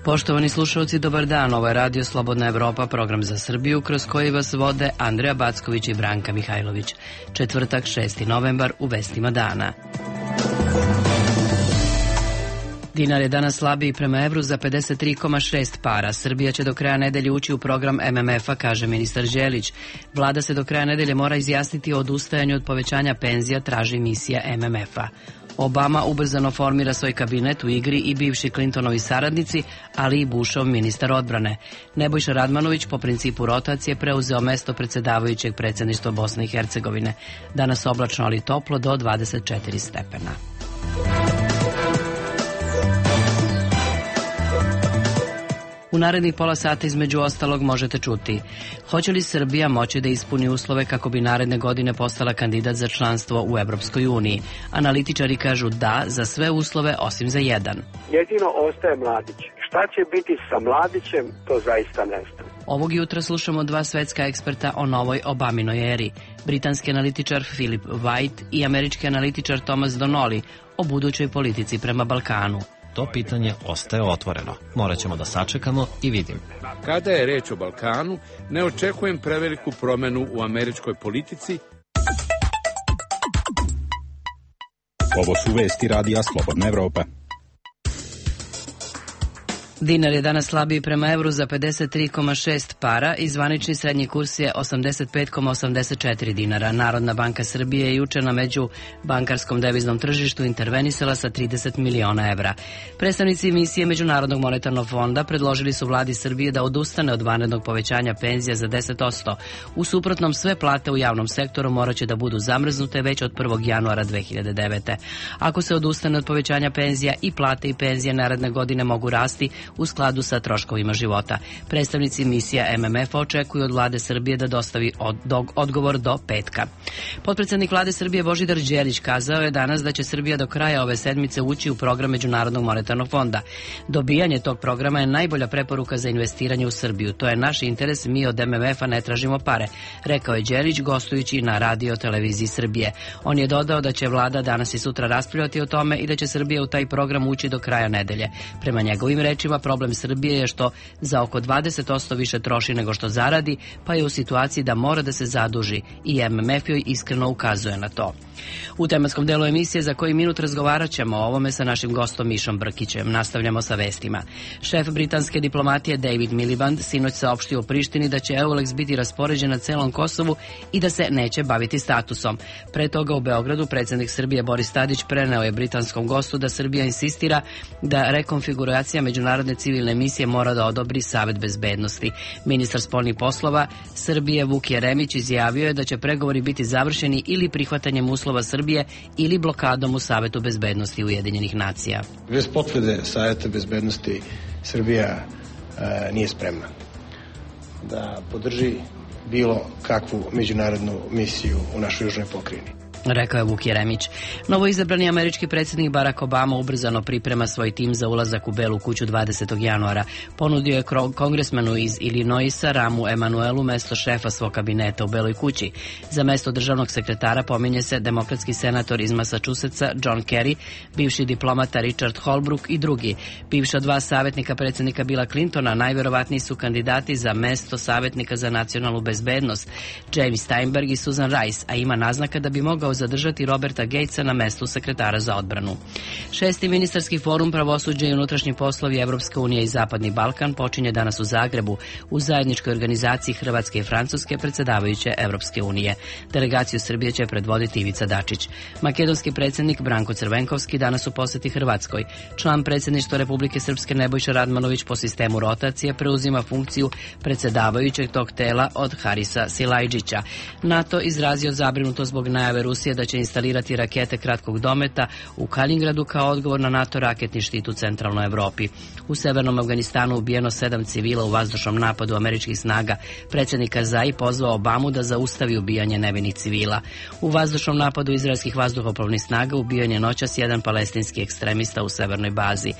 Poštovani slušalci, dobar dan. Ovo je Radio Slobodna Evropa, program za Srbiju, kroz koji vas vode Andreja Backović i Branka Mihajlović. Četvrtak, 6. novembar, u vestima dana. Dinar je danas slabiji prema evru za 53,6 para. Srbija će do kraja nedelje ući u program MMF-a, kaže ministar Đelić. Vlada se do kraja nedelje mora izjasniti o odustajanju od povećanja penzija, traži misija MMF-a. Obama ubrzano formira svoj kabinet, u igri i bivši Clintonovi saradnici, ali i Bushov ministar odbrane. Nebojša Radmanović po principu rotacije preuzeo mesto predsedavajućeg predsjedništva Bosne i Hercegovine. Danas oblačno, ali toplo, do 24 stepena. U narednih pola sata između ostalog možete čuti: hoće li Srbija moći da ispuni uslove kako bi naredne godine postala kandidat za članstvo u Evropskoj uniji? Analitičari kažu da za sve uslove osim za jedan. Jedino ostaje Mladić. Šta će biti sa Mladićem, to zaista ne znam. Ovog jutra slušamo dva svetska eksperta o novoj Obaminoj eri. Britanski analitičar Philip White i američki analitičar Thomas Donnelly o budućoj politici prema Balkanu. To pitanje ostaje otvoreno. Morat ćemo da sačekamo i vidimo. Kada je reč o Balkanu, ne očekujem preveliku promenu u američkoj politici. Ovo su vesti Radija Slobodna Evropa. Dinar je danas slabiji prema evru za 53,6 para i zvanični srednji kurs je 85,84 dinara. Narodna banka Srbije je juče na međubankarskom deviznom tržištu intervenisala sa 30 miliona evra. Predstavnici misije Međunarodnog monetarnog fonda predložili su vladi Srbije da odustane od vanrednog povećanja penzija za 10%. U suprotnom, sve plate u javnom sektoru moraće da budu zamrznute već od 1. januara 2009. Ako se odustane od povećanja penzija, i plate i penzije naredne godine mogu rasti u skladu sa troškovima života. Predstavnici misija MMF-a očekuju od vlade Srbije da dostavi odgovor do petka. Potpredsednik vlade Srbije Božidar Đelić kazao je danas da će Srbija do kraja ove sedmice ući u program Međunarodnog monetarnog fonda. Dobijanje tog programa je najbolja preporuka za investiranje u Srbiju. To je naš interes, mi od MMF-a ne tražimo pare, rekao je Đelić gostujući na radio televiziji Srbije. On je dodao da će vlada danas i sutra raspravljati o tome i da će Srbija u taj program ući do kraja nedelje. Prema njegovim rečima, problem Srbije je što za oko 20% više troši nego što zaradi, pa je u situaciji da mora da se zaduži i MMF joj iskreno ukazuje na to. U tematskom delu emisije za koji minut razgovarat ćemo o ovome sa našim gostom Mišom Brkićem. Nastavljamo sa vestima. Šef britanske diplomatije David Miliband sinoć saopštio u Prištini da će EULEX biti raspoređen na celom Kosovu i da se neće baviti statusom. Pre toga u Beogradu predsjednik Srbije Boris Tadić preneo je britanskom gostu da Srbija insistira da rekonfiguracija međunarodne civilne misije mora da odobri Savet bezbednosti. Ministar spoljnih poslova Srbije Vuk Jeremić izjavio je da će pregovori biti završeni ili prihvatanjem uslova Srbije ili blokadom u Savetu bezbednosti Ujedinjenih nacija. Bez potvrde Saveta bezbednosti Srbija nije spremna da podrži bilo kakvu međunarodnu misiju u našoj južnoj pokrajini, rekao je Vuk Jeremić. Novoizabrani američki predsjednik Barack Obama ubrzano priprema svoj tim za ulazak u Belu kuću 20. januara. Ponudio je kongresmanu iz Illinoisa Ramu Emanuelu mesto šefa svog kabineta u Beloj kući. Za mesto državnog sekretara pominje se demokratski senator iz Massachusettsa John Kerry, bivši diplomata Richard Holbrooke i drugi. Bivša dva savjetnika predsjednika Billa Clintona najverovatniji su kandidati za mesto savjetnika za nacionalnu bezbednost James Steinberg i Susan Rice, a ima naznaka da bi mogao zadržati Roberta Gatesa na mestu sekretara za odbranu. 6. ministarski forum pravosuđa i unutrašnji poslovi Evropske unije i Zapadni Balkan počinje danas u Zagrebu u zajedničkoj organizaciji Hrvatske i Francuske predsjedavajuće Evropske unije. Delegaciju Srbije će predvoditi Ivica Dačić. Makedonski predsjednik Branko Crvenkovski danas u posjeti Hrvatskoj. Član predsjedništva Republike Srpske Nebojša Radmanović po sistemu rotacije preuzima funkciju predsjedavajućeg tog tela od Harisa Silajdžića. NATO izrazio zabrinutost zbog najave Rusije da će instalirati rakete kratkog dometa u Kaliningradu kao odgovor na NATO raketni štit u centralnoj Evropi. U severnom Afganistanu ubijeno 7 civila u vazdušnom napadu američkih snaga. Predsjednik Karzai pozvao Obamu da zaustavi ubijanje nevinih civila. U vazdušnom napadu izraelskih vazduhoplovnih snaga ubijen je noćas jedan palestinski ekstremista u severnoj bazi.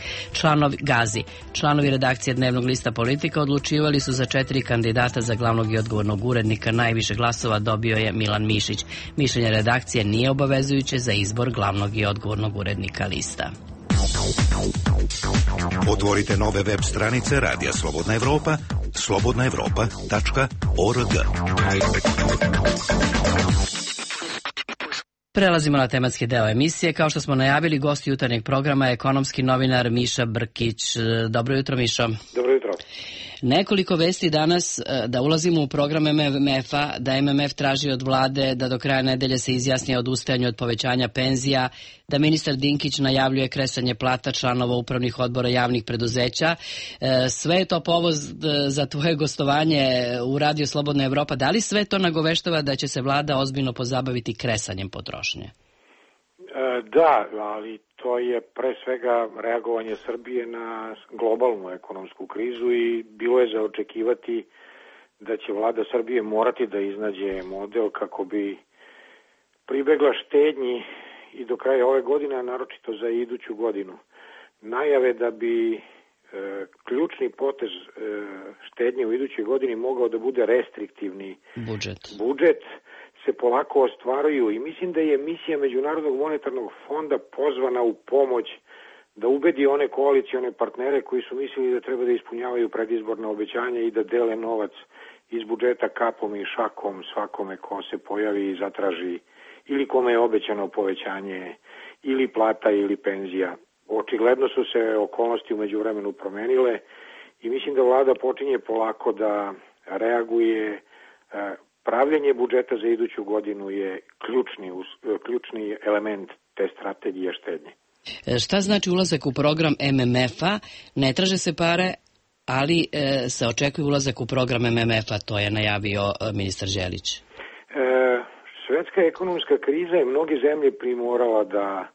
Članovi redakcije dnevnog lista Politika odlučivali su za 4 kandidata za glavnog i odgovornog urednika. Najviše glasova dobio je Milan Mišić. Mišljenje redakcije nije obavezujuće za izbor glavnog i odgovornog urednika lista. Otvorite nove web stranice Radija Slobodna Evropa, slobodnaevropa.org. Prelazimo na tematski deo emisije. Kao što smo najavili, gost jutarnjeg programa je ekonomski novinar Miša Brkić. Dobro jutro, Mišo. Dobro jutro. Nekoliko vesti danas da ulazimo u program MMF-a, da MMF traži od vlade da do kraja nedelje se izjasni o odustajanju od povećanja penzija, da ministar Dinkić najavljuje kresanje plata članova upravnih odbora javnih preduzeća. Sve je to povod za tvoje gostovanje u Radio Slobodna Evropa. Da li sve to nagoveštava da će se vlada ozbiljno pozabaviti kresanjem potrošnje? Da, ali to je pre svega reagovanje Srbije na globalnu ekonomsku krizu i bilo je za očekivati da će vlada Srbije morati da iznađe model kako bi pribegla štednji i do kraja ove godine, a naročito za iduću godinu. Najave da bi ključni potez štednje u idućoj godini mogao da bude restriktivni budžet se polako ostvaruju i mislim da je misija Međunarodnog monetarnog fonda pozvana u pomoć da ubedi one koalicione partnere koji su mislili da treba da ispunjavaju predizborna obećanja i da dele novac iz budžeta kapom i šakom svakome ko se pojavi i zatraži ili kome je obećano povećanje ili plata ili penzija. Očigledno su se okolnosti u međuvremenu promenile i mislim da vlada počinje polako da reaguje. Pravljenje budžeta za iduću godinu je ključni element te strategije štednje. Šta znači ulazak u program MMF-a? Ne traže se pare, ali se očekuje ulazak u program MMF-a, to je najavio ministar Đelić. Svetska ekonomska kriza je mnoge zemlje primorala da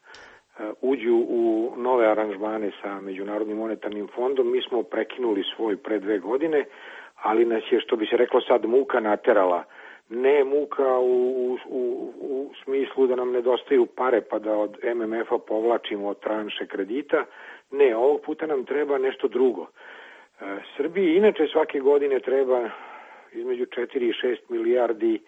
uđu u nove aranžmane sa Međunarodnim monetarnim fondom. Mi smo prekinuli svoj pre 2 godine, ali nas je, što bi se reklo sad, muka naterala. Ne muka u smislu da nam nedostaju pare pa da od MMF-a povlačimo tranše kredita. Ne, ovog puta nam treba nešto drugo. Srbiji inače svake godine treba između 4 i 6 milijardi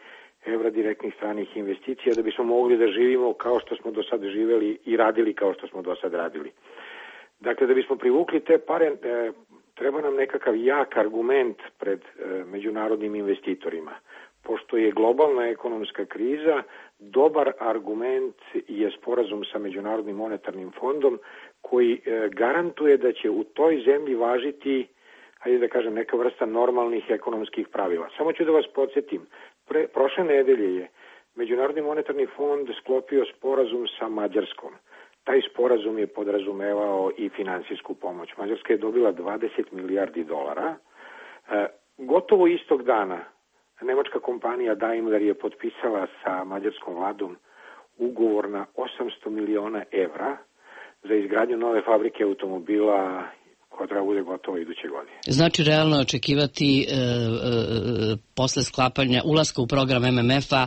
evra direktnih stranih investicija da bismo mogli da živimo kao što smo do sad živeli i radili kao što smo do sad radili. Dakle, da bismo privukli te pare, treba nam nekakav jak argument pred međunarodnim investitorima. Pošto je globalna ekonomska kriza, dobar argument je sporazum sa Međunarodnim monetarnim fondom koji garantuje da će u toj zemlji važiti, hajde da kažem, neka vrsta normalnih ekonomskih pravila. Samo ću da vas podsjetim, prošle nedelje je Međunarodni monetarni fond sklopio sporazum sa Mađarskom. Taj sporazum je podrazumevao i finansijsku pomoć. Mađarska je dobila 20 milijardi dolara. Gotovo istog dana nemačka kompanija Daimler je potpisala sa mađarskom vladom ugovor na 800 miliona evra za izgradnju nove fabrike automobila koja treba bude gotova iduće godine. Znači realno očekivati posle sklapanja ulaska u program MMF-a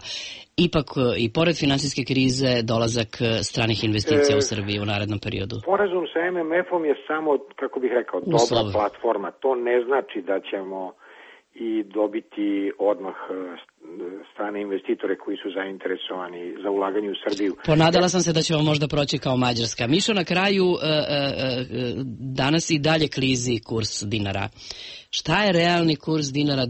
ipak i pored finansijske krize dolazak stranih investicija u Srbiji u narednom periodu? Sporazum sa MMF-om je samo, kako bih rekao, dobra platforma. To ne znači da ćemo i dobiti odmah strane investitore koji su zainteresovani za ulaganje u Srbiju. Ponadala sam se da ćemo možda proći kao Mađarska. Mišo, na kraju danas i dalje klizi kurs dinara. Šta je realni kurs dinara,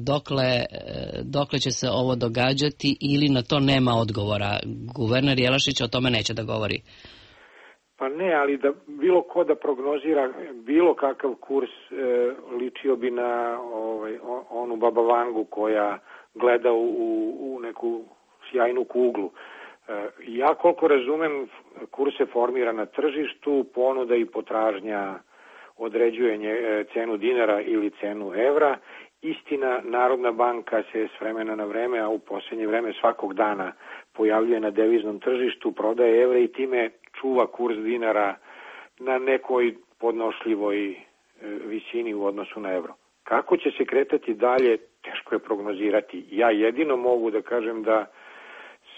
dokle će se ovo događati ili na to nema odgovora? Guverner Jelašić o tome neće da govori. Pa ne, ali da bilo ko da prognozira bilo kakav kurs ličio bi na onu Baba Vangu koja gleda u neku sjajnu kuglu. Ja koliko razumem, kurs se formira na tržištu, ponuda i potražnja određuje cenu dinara ili cenu evra. Istina, Narodna banka se s vremena na vreme, a u posljednje vreme svakog dana pojavljuje na deviznom tržištu, prodaje evre i time čuva kurs dinara na nekoj podnošljivoj visini u odnosu na evro. Kako će se kretati dalje, teško je prognozirati. Ja jedino mogu da kažem da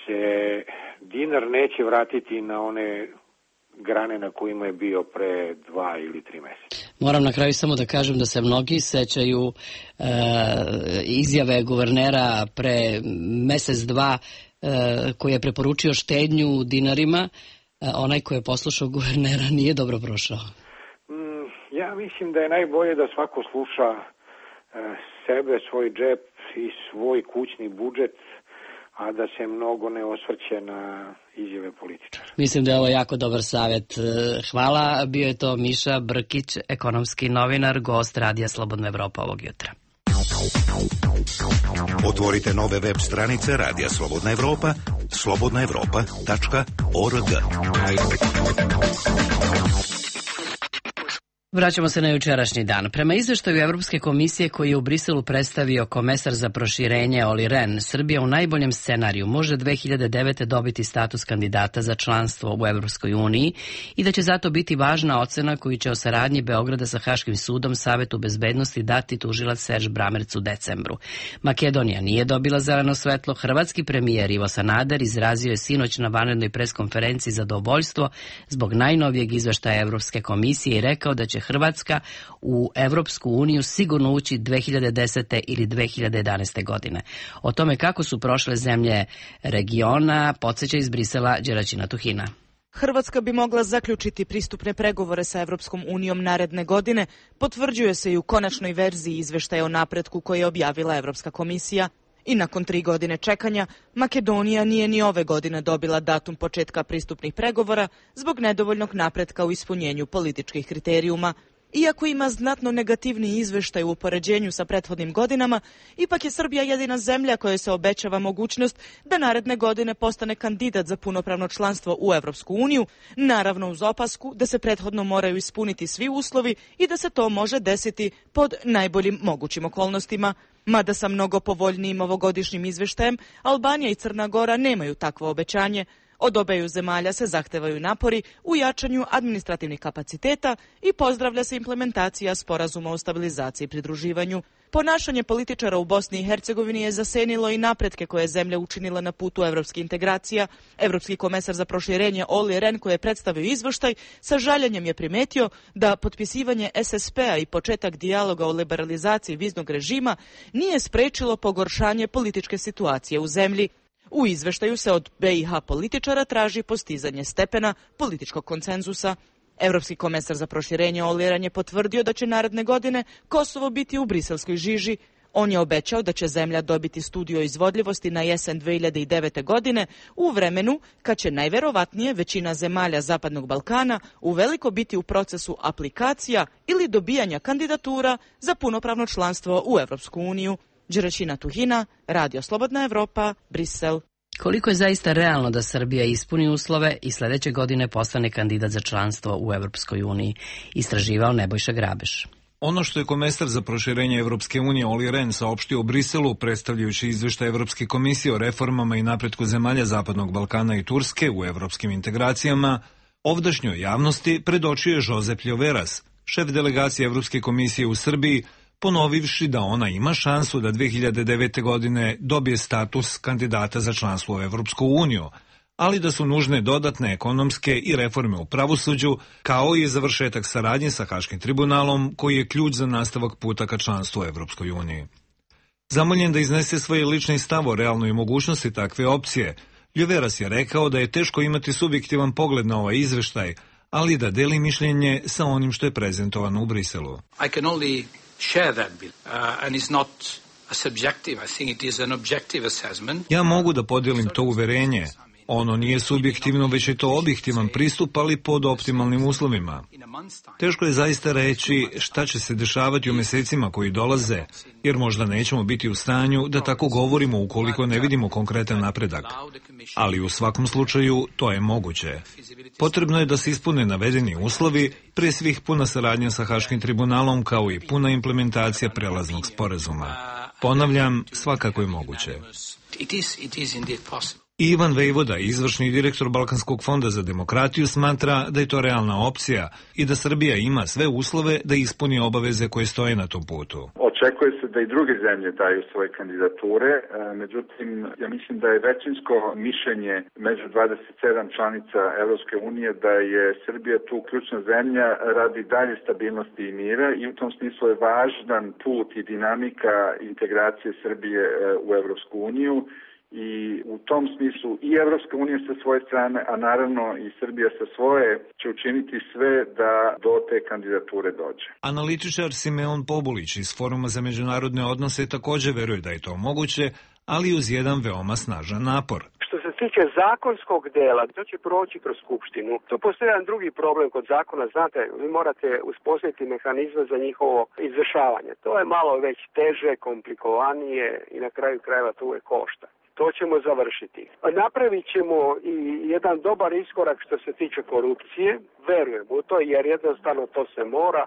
se dinar neće vratiti na one grane na kojima je bio pre 2 ili 3 meseca. Moram na kraju samo da kažem da se mnogi sećaju izjave guvernera pre mesec, dva, koji je preporučio štednju u dinarima, onaj ko je poslušao guvernera nije dobro prošao? Ja mislim da je najbolje da svako sluša sebe, svoj džep i svoj kućni budžet, a da se mnogo ne osvrće na izjave političara. Mislim da je ovo jako dobar savjet. Hvala, bio je to Miša Brkić, ekonomski novinar, gost Radija Slobodna Evropa ovog jutra. Otvorite nove web stranice Radija Slobodna Evropa, slobodnaevropa.org. Vraćamo se na jučerašnji dan. Prema izveštaju Evropske komisije koji je u Briselu predstavio komesar za proširenje Olli Rehn, Srbija u najboljem scenariju može 2009. dobiti status kandidata za članstvo u Evropskoj uniji i da će zato biti važna ocena koju će o saradnji Beograda sa Haškim sudom Savetu bezbednosti dati tužilac Serž Bramerc u decembru. Makedonija nije dobila zeleno svetlo. Hrvatski premijer Ivo Sanader izrazio je sinoć na vanrednoj preskonferenciji zadovoljstvo zbog najnovijeg izveštaja Evropske komisije i rekao da će Hrvatska u Evropsku uniju sigurno ući 2010. ili 2011. godine. O tome kako su prošle zemlje regiona podsjeća iz Brisela Đeraćina Tuhina. Hrvatska bi mogla zaključiti pristupne pregovore sa Evropskom unijom naredne godine, potvrđuje se i u konačnoj verziji izveštaja o napretku koje je objavila Evropska komisija. I nakon 3 godine čekanja, Makedonija nije ni ove godine dobila datum početka pristupnih pregovora zbog nedovoljnog napretka u ispunjenju političkih kriterijuma. Iako ima znatno negativni izveštaj u upoređenju sa prethodnim godinama, ipak je Srbija jedina zemlja kojoj se obećava mogućnost da naredne godine postane kandidat za punopravno članstvo u Evropsku uniju, naravno uz opasku da se prethodno moraju ispuniti svi uslovi i da se to može desiti pod najboljim mogućim okolnostima. Mada sa mnogo povoljnijim ovogodišnjim izveštajem, Albanija i Crna Gora nemaju takvo obećanje. Od obeju zemalja se zahtevaju napori u jačanju administrativnih kapaciteta i pozdravlja se implementacija sporazuma o stabilizaciji i pridruživanju. Ponašanje političara u Bosni i Hercegovini je zasenilo i napretke koje je zemlja učinila na putu evropskih integracija. Evropski komesar za proširenje Olli Rehn, koji je predstavio izveštaj, sa žaljenjem je primetio da potpisivanje SSP-a i početak dijaloga o liberalizaciji viznog režima nije sprečilo pogoršanje političke situacije u zemlji. U izveštaju se od BiH političara traži postizanje stepena političkog konsenzusa. Evropski komesar za proširenje Olli Rehn je potvrdio da će naredne godine Kosovo biti u briselskoj žiži. On je obećao da će zemlja dobiti studiju o izvodljivosti na jesen 2009. godine u vremenu kad će najverovatnije većina zemalja Zapadnog Balkana uveliko biti u procesu aplikacija ili dobijanja kandidatura za punopravno članstvo u Evropsku uniju. Đeraćina Tuhina, Radio Slobodna Evropa, Brisel. Koliko je zaista realno da Srbija ispuni uslove i sledeće godine postane kandidat za članstvo u Evropskoj uniji, istraživao Nebojša Grabeš. Ono što je komesar za proširenje Evropske unije Olli Rehn saopštio u Briselu, predstavljajući izveštaj Evropske komisije o reformama i napretku zemalja Zapadnog Balkana i Turske u evropskim integracijama, ovdašnjoj javnosti predočio je Josep Ljoveras, šef delegacije Evropske komisije u Srbiji, ponovivši da ona ima šansu da 2009. godine dobije status kandidata za članstvo u Evropsku uniju, ali da su nužne dodatne ekonomske i reforme u pravosuđu, kao i završetak saradnje sa Haškim tribunalom, koji je ključ za nastavak puta ka članstvu u Evropskoj uniji. Zamoljen da iznese svoje lični stav o realnoj mogućnosti takve opcije, Ljoveras je rekao da je teško imati subjektivan pogled na ovaj izveštaj, ali da deli mišljenje sa onim što je prezentovano u Briselu. Ja mogu da podijelim to uverenje. Ono nije subjektivno, već je to objektivan pristup, ali pod optimalnim uslovima. Teško je zaista reći šta će se dešavati u mesecima koji dolaze, jer možda nećemo biti u stanju da tako govorimo ukoliko ne vidimo konkretan napredak. Ali u svakom slučaju to je moguće. Potrebno je da se ispune navedeni uslovi, pre svih puna saradnja sa Haškim tribunalom kao i puna implementacija prelaznog sporazuma. Ponavljam, svakako je moguće. Ivan Vejvoda, izvršni direktor Balkanskog fonda za demokratiju, smatra da je to realna opcija i da Srbija ima sve uslove da ispuni obaveze koje stoje na tom putu. Očekuje se da i druge zemlje daju svoje kandidature, međutim, ja mislim da je većinsko mišljenje među 27 članica Evropske unije da je Srbija tu ključna zemlja radi dalje stabilnosti i mira i u tom smislu je važan put i dinamika integracije Srbije u Evropsku uniju. i u tom smislu i Evropska unija sa svoje strane, a naravno i Srbija sa svoje, će učiniti sve da do te kandidature dođe. Analitičar Simeon Pobulić iz Foruma za međunarodne odnose također veruje da je to moguće, ali uz jedan veoma snažan napor. Što se tiče zakonskog dela, to će proći kroz Skupštinu. Tu postoji jedan drugi problem kod zakona, znate, vi morate uspostaviti mehanizme za njihovo izvršavanje. To je malo već teže, komplikovanije i na kraju krajeva to uvijek košta. To ćemo završiti. Napravit ćemo i jedan dobar iskorak što se tiče korupcije, verujem u to jer jednostavno to se mora.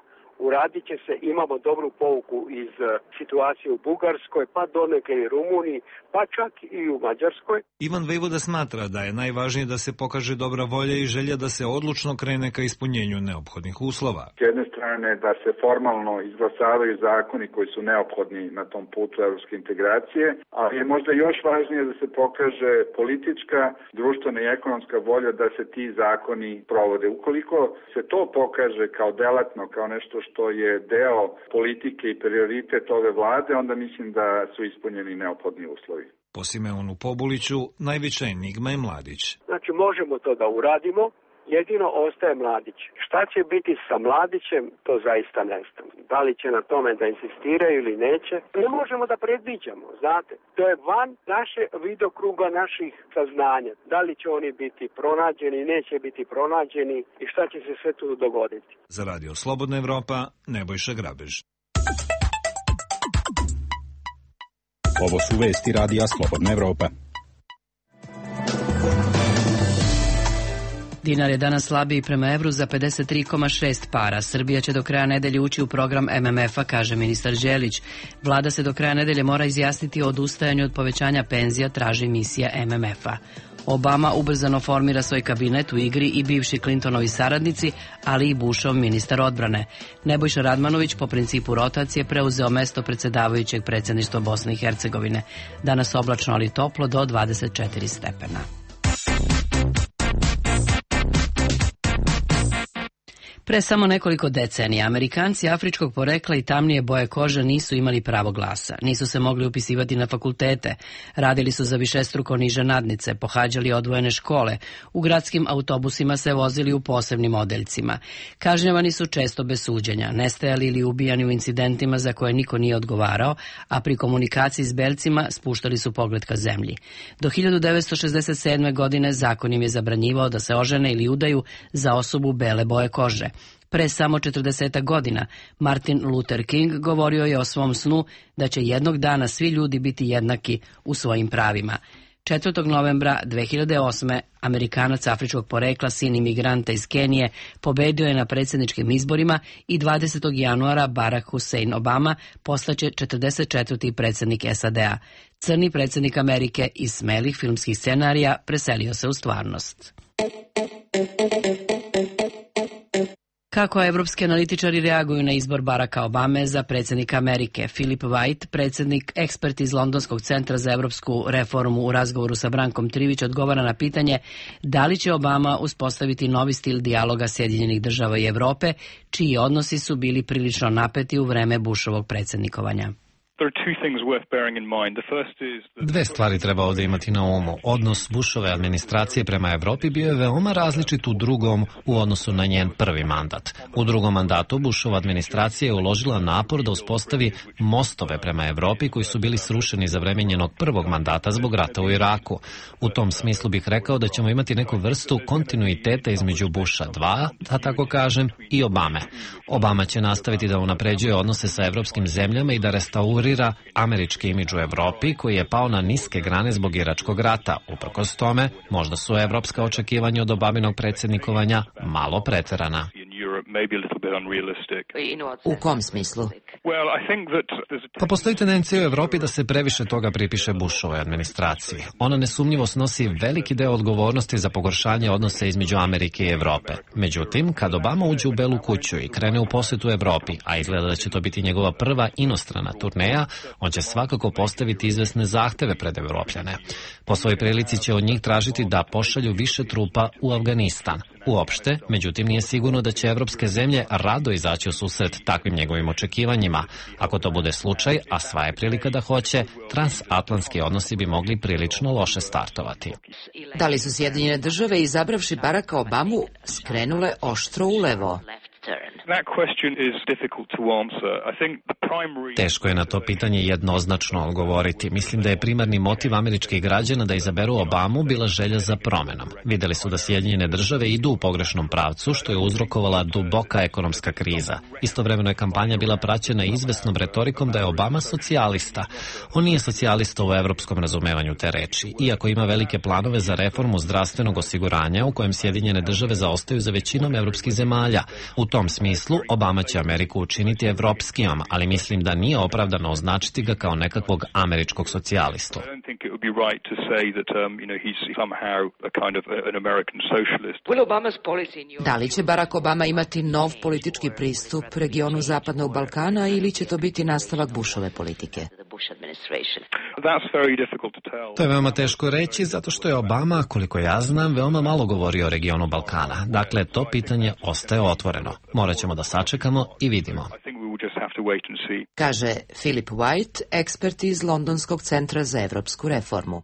Uradit će se, imamo dobru pouku iz situacije u Bugarskoj, pa donekle i Rumuniji, pa čak i u Mađarskoj. Ivan Vejvoda smatra da je najvažnije da se pokaže dobra volja i želja da se odlučno krene ka ispunjenju neophodnih uslova. S jedne strane da se formalno izglasavaju zakoni koji su neophodni na tom putu evropske integracije, ali je možda još važnije da se pokaže politička, društvena i ekonomska volja da se ti zakoni provode. Ukoliko se to pokaže kao delatno, kao nešto što je deo politike i prioritet ove vlade, onda mislim da su ispunjeni neophodni uslovi. Po Simeonu Pobuliću, najveća enigma je Mladić. Znači, možemo to da uradimo, jedino ostaje Mladić. Šta će biti sa Mladićem, to zaista ne znam. Da li će na tome da insistiraju ili neće, ne možemo da predviđamo, znate. To je van naše vidokruga naših saznanja. Da li će oni biti pronađeni, neće biti pronađeni i šta će se sve tu dogoditi. Za Radio Slobodna Evropa, Nebojša Grabež. Ovo su vesti Radija Slobodna Evropa. Dinar je danas slabiji prema evru za 53,6 para. Srbija će do kraja nedelje ući u program MMF-a, kaže ministar Đelić. Vlada se do kraja nedelje mora izjasniti o odustajanju od povećanja penzija, traži misija MMF-a. Obama ubrzano formira svoj kabinet, u igri i bivši Clintonovi saradnici, ali i Bushov ministar odbrane. Nebojša Radmanović po principu rotacije preuzeo mesto predsjedavajućeg predsjedništva Bosne i Hercegovine. Danas oblačno, ali toplo do 24 stepena. Pre samo nekoliko decenija Amerikanci afričkog porekla i tamnije boje kože nisu imali pravo glasa, nisu se mogli upisivati na fakultete, radili su za višestruko niže nadnice, pohađali odvojene škole, u gradskim autobusima se vozili u posebnim odeljcima. Kažnjavani su često bez suđenja, nestajali ili ubijani u incidentima za koje niko nije odgovarao, a pri komunikaciji s belcima spuštali su pogled ka zemlji. Do 1967. godine zakon im je zabranjivao da se ožene ili udaju za osobu bele boje kože. Pre samo 40 godina Martin Luther King govorio je o svom snu da će jednog dana svi ljudi biti jednaki u svojim pravima. 4. novembra 2008. Amerikanac afričkog porekla, sin imigranta iz Kenije, pobedio je na predsjedničkim izborima i 20. januara Barack Hussein Obama postaće 44. predsjednik SAD-a. Crni predsjednik Amerike iz smelih filmskih scenarija preselio se u stvarnost. Kako evropski analitičari reaguju na izbor Baracka Obame za predsjednika Amerike? Philip White, predsjednik ekspert iz Londonskog centra za evropsku reformu, u razgovoru sa Brankom Trivić odgovara na pitanje da li će Obama uspostaviti novi stil dijaloga Sjedinjenih država i Evrope, čiji odnosi su bili prilično napeti u vreme Bushovog predsjednikovanja. Dve stvari treba ovdje imati na umu. Odnos Bushove administracije prema Evropi bio je veoma različit u drugom u odnosu na njen prvi mandat. U drugom mandatu Bushova administracija je uložila napor da uspostavi mostove prema Evropi koji su bili srušeni za vreme njenog prvog mandata zbog rata u Iraku. U tom smislu bih rekao da ćemo imati neku vrstu kontinuiteta između Busha 2, da tako kažem, i Obame. Obama će nastaviti da unapređuje odnose sa evropskim zemljama i da restaurira američki imidž u Evropi koji je pao na niske grane zbog iračkog rata. Uprkos tome, možda su evropska očekivanja od Obaminog predsjednikovanja malo preterana. U kom smislu? Pa postoji tendencija u Evropi da se previše toga pripiše Bushovoj administraciji. Ona nesumnjivo snosi veliki deo odgovornosti za pogoršanje odnosa između Amerike i Evrope. Međutim, kad Obama uđe u Belu kuću i krene u posjetu Evropi, a izgleda da će to biti njegova prva inostrana turneja, on će svakako postaviti izvesne zahteve pred Evropljane. Po svojoj prilici će od njih tražiti da pošalju više trupa u Afganistan. uopšte, međutim nije sigurno da će evropske zemlje rado izaći u susret takvim njegovim očekivanjima. Ako to bude slučaj, a sva je prilika da hoće, transatlantski odnosi bi mogli prilično loše startovati. Da li su Sjedinjene države, izabravši Baracka Obamu, skrenule oštro ulevo? Teško je na to pitanje jednoznačno odgovoriti. Mislim da je primarni motiv američkih građana da izaberu Obamu bila želja za promenom. Videli su da Sjedinjene države idu u pogrešnom pravcu, što je uzrokovala duboka ekonomska kriza. Istovremeno je kampanja bila praćena izvesnom retorikom da je Obama socijalista. On nije socijalista u evropskom razumevanju te reči, iako ima velike planove za reformu zdravstvenog osiguranja u kojem Sjedinjene države zaostaju za većinom evropskih zemalja. U tom smislu, Obama će Ameriku učiniti evropskijom, ali mislim da nije opravdano označiti ga kao nekakvog američkog socijalistu. Da li će Barack Obama imati nov politički pristup regionu Zapadnog Balkana ili će to biti nastavak Bushove politike? To je veoma teško reći, zato što je Obama, koliko ja znam, veoma malo govorio o regionu Balkana. Dakle, to pitanje ostaje otvoreno. Morat ćemo da sačekamo i vidimo. Kaže Philip White, ekspert iz Londonskog centra za evropsku reformu.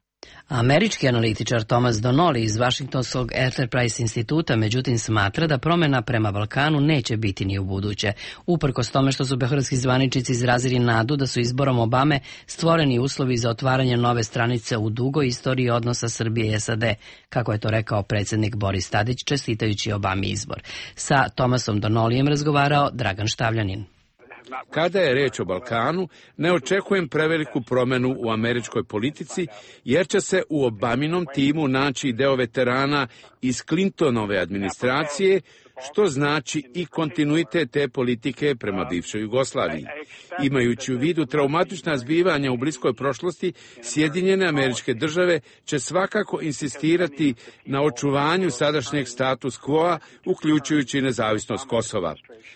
Američki analitičar Thomas Donnelly iz Washingtonskog Enterprise instituta međutim smatra da promjena prema Balkanu neće biti ni u buduće. Uprkos tome što su beogradski zvaničnici izrazili nadu da su izborom Obame stvoreni uslovi za otvaranje nove stranice u dugoj istoriji odnosa Srbije i SAD, kako je to rekao predsjednik Boris Tadić čestitajući Obami izbor. Sa Thomasom Donnellyjem razgovarao Dragan Štavljanin. Kada je reč o Balkanu, ne očekujem preveliku promenu u američkoj politici, jer će se u Obaminom timu naći deo veterana iz Clintonove administracije, što znači i kontinuitet te politike prema bivšoj Jugoslaviji. Imajući u vidu traumatična zbivanja u bliskoj prošlosti, Sjedinjene Američke Države će svakako insistirati na očuvanju sadašnjeg status quo-a, uključujući nezavisnost Kosova.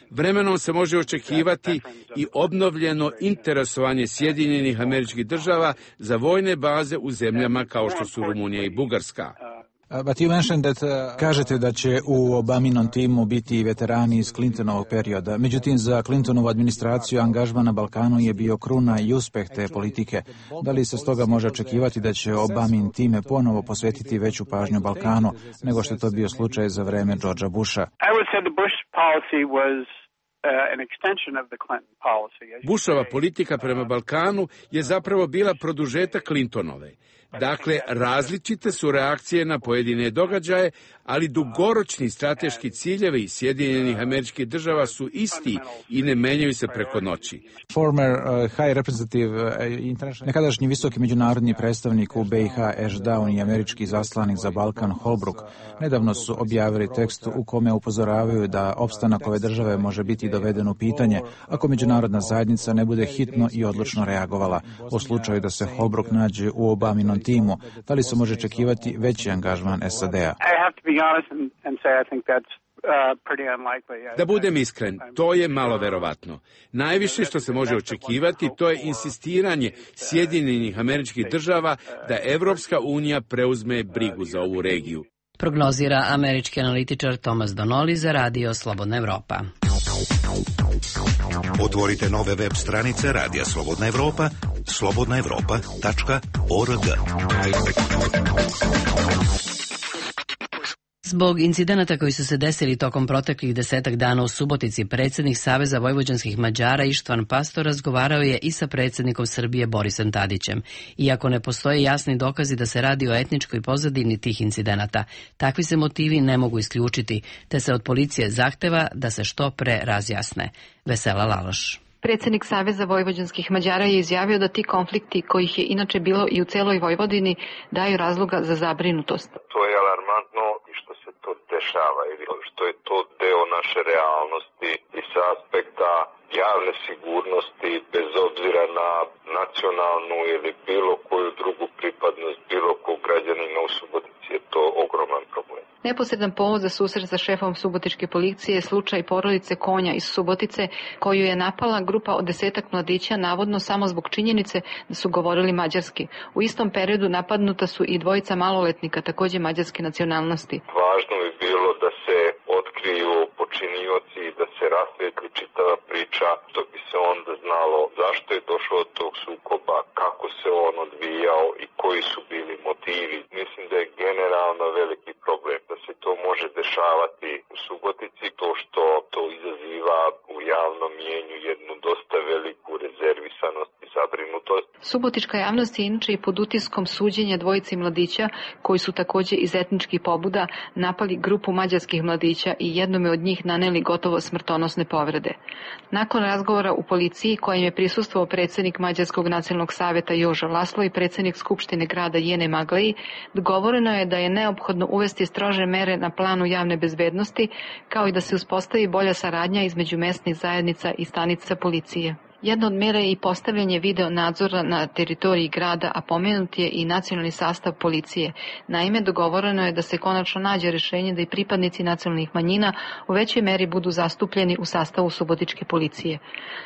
Vremenom se može očekivati i obnovljeno interesovanje Sjedinjenih Američkih Država za vojne baze u zemljama kao što su Rumunija i Bugarska. Kažete da će u Obaminom timu biti veterani iz Clintonovog perioda. Međutim, za Clintonovu administraciju angažman na Balkanu je bio kruna i uspeh te politike. Da li se stoga može očekivati da će Obamin time ponovo posvetiti veću pažnju Balkanu nego što je to bio slučaj za vreme Georgea Busha? Bushova politika prema Balkanu je zapravo bila produžetak Clintonove. Dakle, različite su reakcije na pojedine događaje, ali dugoročni strateški ciljevi Sjedinjenih Američkih Država su isti i ne menjaju se preko noći. Nekadašnji visoki međunarodni predstavnik u BiH Ashdown i američki zaslanik za Balkan Holbrooke nedavno su objavili tekst u kome upozoravaju da opstanak ove države može biti doveden u pitanje ako međunarodna zajednica ne bude hitno i odlučno reagovala. U slučaju da se Holbrooke nađe u Obaminom timu, da li se može očekivati veći angažman SAD-a? Da budem iskren, to je malo verovatno. Najviše što se može očekivati to je insistiranje Sjedinjenih Američkih Država da Evropska unija preuzme brigu za ovu regiju. Prognozira američki analitičar Thomas Donnelly za radio Slobodna Evropa. Otvorite nove web stranice Radija Slobodna Evropa, slobodnaevropa.org. Zbog incidenata koji su se desili tokom proteklih 10 dana u Subotici, predsjednik Saveza vojvođanskih Mađara Ištvan Pastor razgovarao je i sa predsjednikom Srbije Borisom Tadićem. Iako ne postoje jasni dokazi da se radi o etničkoj pozadini tih incidenata, takvi se motivi ne mogu isključiti, te se od policije zahteva da se što pre razjasne. Vesela Laloš. Predsjednik Saveza vojvođanskih Mađara je izjavio da ti konflikti, kojih je inače bilo i u celoj Vojvodini, daju razloga za zabrinutost. To je alarmantno i što se to dešava ili što je to deo naše realnosti i sa aspekta javne sigurnosti, bez obzira na nacionalnu ili bilo koju drugu pripadnost bilo kog građanina u Subotici, je to ogroman problem. Neposredan povod za susret sa šefom subotičke policije je slučaj porodice Konja iz Subotice, koju je napala grupa od 10 mladića, navodno samo zbog činjenice da su govorili mađarski. U istom periodu napadnuta su i dvojica maloletnika, također mađarske nacionalnosti. Važno bi bilo da se priča, što bi se onda znalo zašto je došlo do tog sukoba, kako se on odvijao i koji su bili motivi. Mislim da je generalno veliki problem da se to može dešavati u Subotici, to što to izaziva u javnom mjenju jednu dosta veliku rezervisanost i zabrinutost. Subotička javnost je inače i pod utiskom suđenja dvojici mladića koji su takođe iz etničkih pobuda napali grupu mađarskih mladića i jednome od njih naneli gotovo smrtonosne povrede. Nakon razgovora u policiji kojem je prisustvovao predsednik Mađarskog nacionalnog saveta Joža Laslo i predsednik Skupštine grada Jene Magleji, dogovoreno je da je neophodno uvesti strože mere na planu javne bezbednosti, kao i da se uspostavi bolja saradnja između mesnih zajednica i stanica policije. Jedna od mera je i postavljanje video nadzora na teritoriji grada, a pomenut je i nacionalni sastav policije. Naime, dogovoreno je da se konačno nađe rešenje da i pripadnici nacionalnih manjina u većoj meri budu zastupljeni u sastavu Subotičke policije.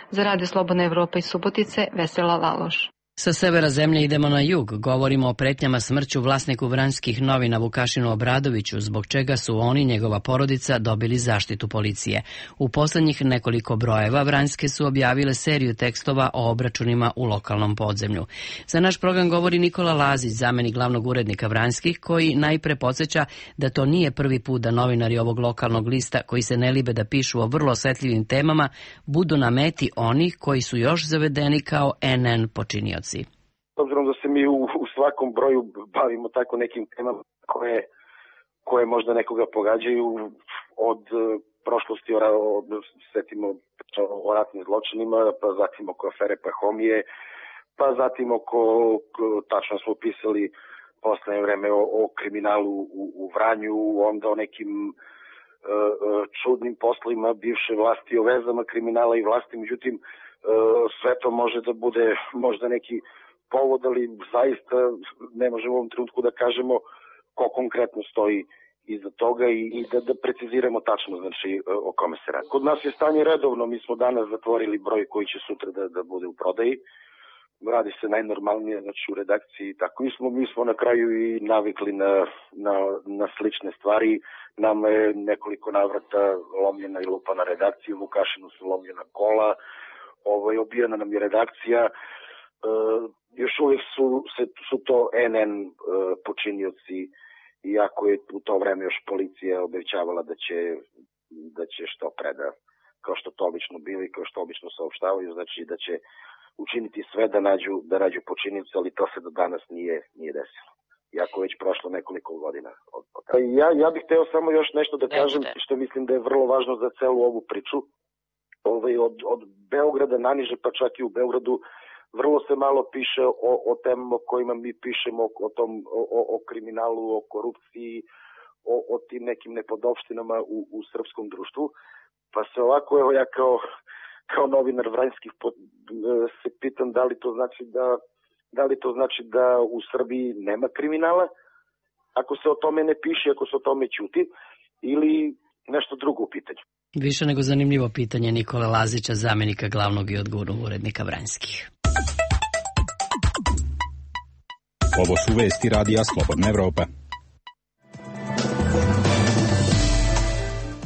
Za Radio Slobodna Evropa iz Subotice, Vesela Laloš. Sa severa zemlje idemo na jug. Govorimo o pretnjama smrću vlasniku Vranjskih novina Vukašinu Obradoviću, zbog čega su on i njegova porodica dobili zaštitu policije. U poslednjih nekoliko brojeva Vranjske su objavile seriju tekstova o obračunima u lokalnom podzemlju. Za naš program govori Nikola Lazić, zamenik glavnog urednika Vranjskih, koji najpre podsjeća da to nije prvi put da novinari ovog lokalnog lista, koji se ne libe da pišu o vrlo osetljivim temama, budu na meti onih koji su još zavedeni kao NN počinioci. S obzirom da se mi u svakom broju bavimo tako nekim temama koje možda nekoga pogađaju, od prošlosti setimo o ratnim zločinima, pa zatim oko afere Pahomije, pa zatim tačno smo pisali poslednje vreme o kriminalu u Vranju, onda o nekim čudnim poslovima bivše vlasti, o vezama kriminala i vlasti, međutim sve to može da bude možda neki povod, ali zaista ne možemo u ovom trenutku da kažemo ko konkretno stoji iza toga i da preciziramo tačno znači o kome se radi. Kod nas je stanje redovno, mi smo danas zatvorili broj koji će sutra da bude u prodaji. Radi se najnormalnije, znači u redakciji i tako. Mi smo na kraju i navikli na slične stvari. Nama je nekoliko navrata lomljena i lupana redakcija, u Vukašinu su lomljena kola, obijena nam je redakcija. Još uvijek su to NN počinioci, iako je u to vreme još policija obećavala da će što preda, kao što to obično bili, kao što obično saopštavaju, znači da će učiniti sve da nađu počinioci, ali to se do danas nije desilo. Iako već prošlo nekoliko godina. Ja bih hteo samo još nešto da kažem, što mislim da je vrlo važno za celu ovu priču. Od Beograda naniže, pa čak i u Beogradu, vrlo se malo piše o temama o kojima mi pišemo, o kriminalu, o korupciji, o tim nekim nepodopštinama u srpskom društvu. Pa se ovako, evo ja kao novinar Vranjskih se pitam da li to znači da u Srbiji nema kriminala, ako se o tome ne piše, ako se o tome ćuti, ili nešto drugo u pitanju. Više nego zanimljivo pitanje Nikole Lazića, zamenika glavnog i odgovornog urednika Vranjskih. Ovo su vesti Radija Slobodna Evropa.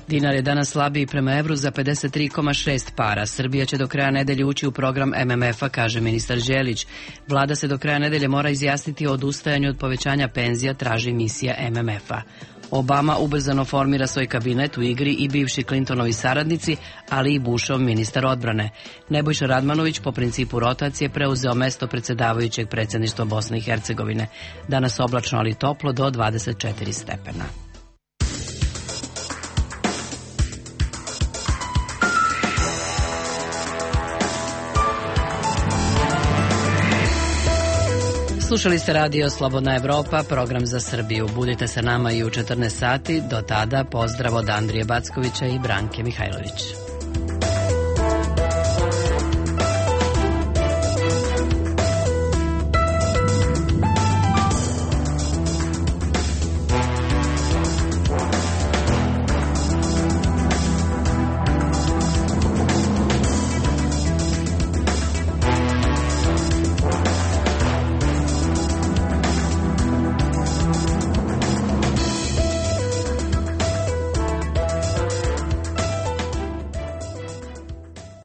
Dinar je danas slabiji prema evru za 53,6 para. Srbija će do kraja nedelje ući u program MMF-a, kaže ministar Đelić. Vlada se do kraja nedelje mora izjasniti o odustajanju od povećanja penzija, traži misija MMF-a. Obama ubrzano formira svoj kabinet, u igri i bivši Clintonovi saradnici, ali i Bushov ministar odbrane. Nebojša Radmanović po principu rotacije preuzeo mesto predsedavajućeg predsjedništva Bosne i Hercegovine. Danas oblačno, ali toplo do 24 stepena. Slušali ste Radio Slobodna Evropa, program za Srbiju. Budite sa nama i u 14 sati. Do tada pozdrav od Andrije Backovića i Branke Mihajlović.